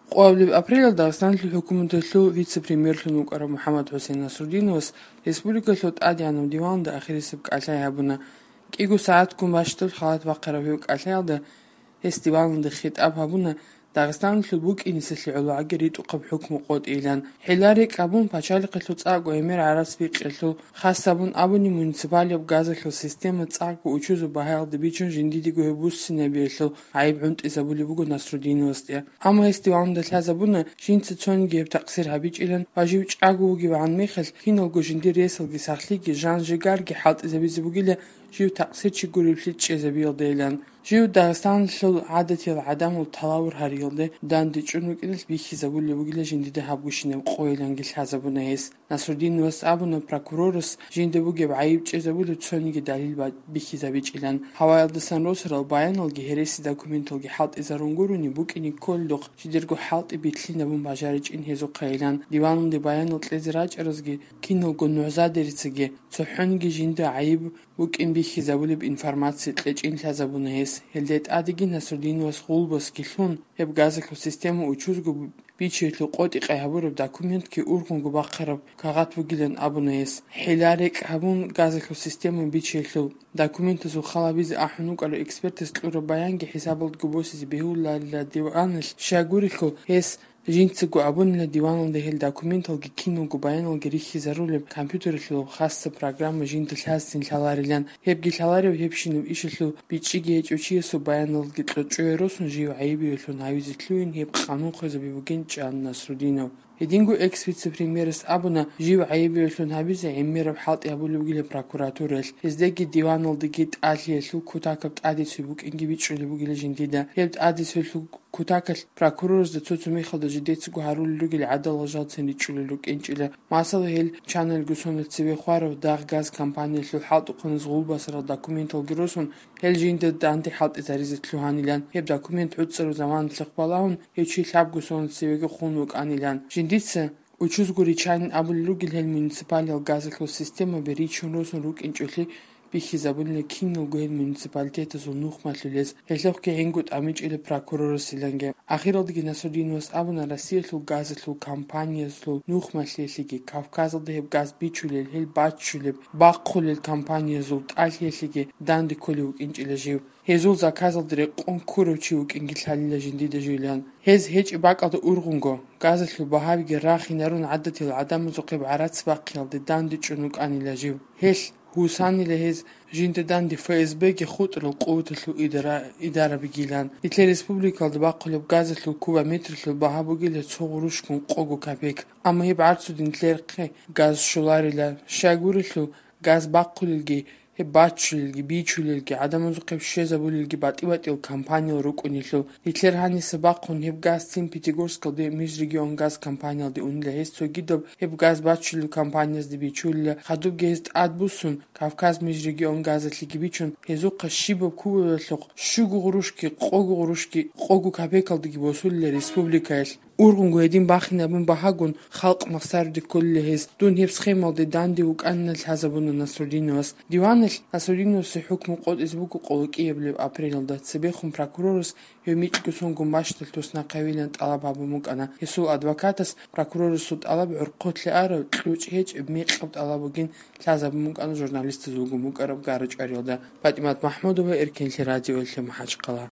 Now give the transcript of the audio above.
ყოველივე აპრილ Დაღესტანის ჰუკუმეტლუ ვიце-პრემიერლუ ნუკარა მუჰამად ჰუსეინ ნასრუდინოვს რესპუბლიკალუ ტადიანუ დივანდა ახირისებ კალაიაბუნა კიგუ საათ გუმაშტულ ხალათ ვაყარავი კალაიალდა ეს დივანდა ხიტაბაბუნა Დაღესტანში ბუკინისლი ოლაგერი ტუყებ ჰუკმუ ყოტილან ჰილარი კაბუნ პაჩალიყლუ წაგო ემერ არასვიყლუ ხასაბუნ აბუნი მუნიციპალიობ გაზახლუ სისტემა წაგო უჩუზუ ბაჰალდი ბიჩუნ ჟინდიდი გუებუსინებიელუ აიბრუნტიზაბული ბუგო ნასრუდინოსტია ამა ეს დივანდა ლაზაბუნა ჟინცი ცონგებ ტაქსირ ჰაბიჭილან ვაჟივ ჭაგუგი ვან მიხელ ხინოგო ჟინდირი ესლგი სახლიგი ჟანჟიგარგი ჰალტიზებიზი ბუგილე ჟივ ტაქსირ ჩიგურიფლი ჭეზებიელდელან ჟივ Დაღესტანში ადათილ ადამულ თალავურ ჰარიელდე დანდი ჭუნუკინეს ბიხიზაბული ბუგილე ჟინდიდე ჰაბგუშინე ყოილანგი ლაზაბუნა ეს ნასრუდინოს აბუნა პროკუროროს ჟინდებუგებ აიბჭეზებული ცონიგი დალილ ბიხიზაბიჭილან ჰავაილდესან როსრალ ბაიანოლგი ჰერესი დოკუმენტოლგი ჰალტიზარუნგურუნი ბუკინი კოლდოხ ჟიდერგო ჰალტი ბითლინებუნ ბაჟარიჭინ ჰეზო ყაილან დივანუნდი ბაიანოლ ტლეზრაჭროზგი კინოგო ნოზადერიცგი ცოჰონგი ჟინდე აიბ ბუკინ ბიხიზაბული ინფორმაცია ტლეჭინ ლაზაბუნა ეს ჰელდეთ ადიგი ნასრუდინოს ხულბოს გიხუნ ებ გაზექო სისტემა უჩუზგო ბიჩეთლუ ყოტი ყააბურებ დოკუმენტკი ურგუნგო ბახარებ ქაღათბუგილენ აბუნეს ჰილარეკ აბუნ გაზექო სისტემა ბიჩეთლუ დოკუმენტზუ ხალაბიზ აჰნუკალო ექსპერტის ტლურო ბაიანგი ჰესაბოლდ გუბოსიზ ბეულალა დივანელ შაგურიხო ეს ჟინცგო აბუნლა დივანოლდე ჰელ დოკუმენტოლგი კინოგო ბაიანოლგი რიხიზარულებ კომპიუტერლუ ხასცა პროგრამა ჟინდლასინ ლალარილან ჰებგი ლალარი ჰებშინუ იშლუ ბიჭიგი ეჭუჩიესო ბაიანოლგი ტლოჭუეროსუნ ჟივ აიბიელუ ნავიზიტლუინ ჰებ ყანუნ ხეზები ბუგენ ჭან ნასრუდინო Едингу экс-вице-премьерс абуна жив аибиелу набизе эммераб халти абулугиле прокуратурел эздеги диванолдиги талиелу кутакап адису букинги бичули бугиле жиндида еб адису кутакал прокурорс да цуцу михалда жидецгу харулугиле адалажатсени чулулу кенчиле масал хел чанел гусонел циве хваров даг газ компаниелу халту қоныз гулбасра документол гиросун хел жинде данти халти заризетлу ханилан еб документ уцру заман лхбалаун ечи лаб гусонел цивеге хунук анилан Жиндица учузгури чайн абулугил хел муниципалиал газеклу система беричуносун рук инчули бихизабулне киногу хел муниципалитета зунухматлулес хелохке энгут амичиле прокурорсиланге ахиродги насудинос абуна расиелу газеклу компанияслу нухматлелиги кавказалде хел газ бичулел хел бачулел баққулел компаниязу талхелиги данди колук инчиле жив Хезул заказалдре конкурочи укингилхалила жиндиде жилан хез хеч бакалда ургунго газетлу баҳавиги рахинарун аддатил адам зуқиб арац бақилде данди чунук анила жив хел Хусаниле хез жинде данди ФСБ ги хутрул қувтлу идара бигилан Итле республикалда баққулеб газетлу куба метрлу баҳабугиле цуғурушкун қогу капек ама еб арцудин тлерқи газ шуларила шагурилу газ баққулилги ბაჩილგი ბიჩულილგი ადამიანზუყებ შეზაბულილგი ბატიბატილ კომპანიო რუკუნილო იტლერჰანი საბახუნ ჰებ გаз ციმ პიტიგორსკალდე მის რეგიონ გаз კომპანიალდე უნილე ეს ცოგიდო ჰებ გаз ბაჩილ კომპანიაზ დი ბიჩულა ხადუ გეზტ ადბუსუნ კავკაზ მის რეგიონ გაზეთლიგი ბიჩუნ ჰეზუყა შიბო კუველო შუგუღრუშკი ყოგუღრუშკი ყოგუ კაპეკალდი ბოსულე რესპუბლიკაელ Ургунго един бахинабун бахагун халқ мақсарди кулли хез дун хепс хемалди данди уканнал хазабуна Насрудинос диванел Насрудинос хукму қод избуку қолукиеблеб апрелда цебехун прокурорус юмичгусон гумбаштал тусна қавилан талабабу мукана хесул адвокатас прокурорус суд алаб урқотли ара тлуч хеч миқабд алабугин хазабу мукана журналист зугу мукараб гарыч арилда Фатимат Махмудова Эркинли радио элли махачқала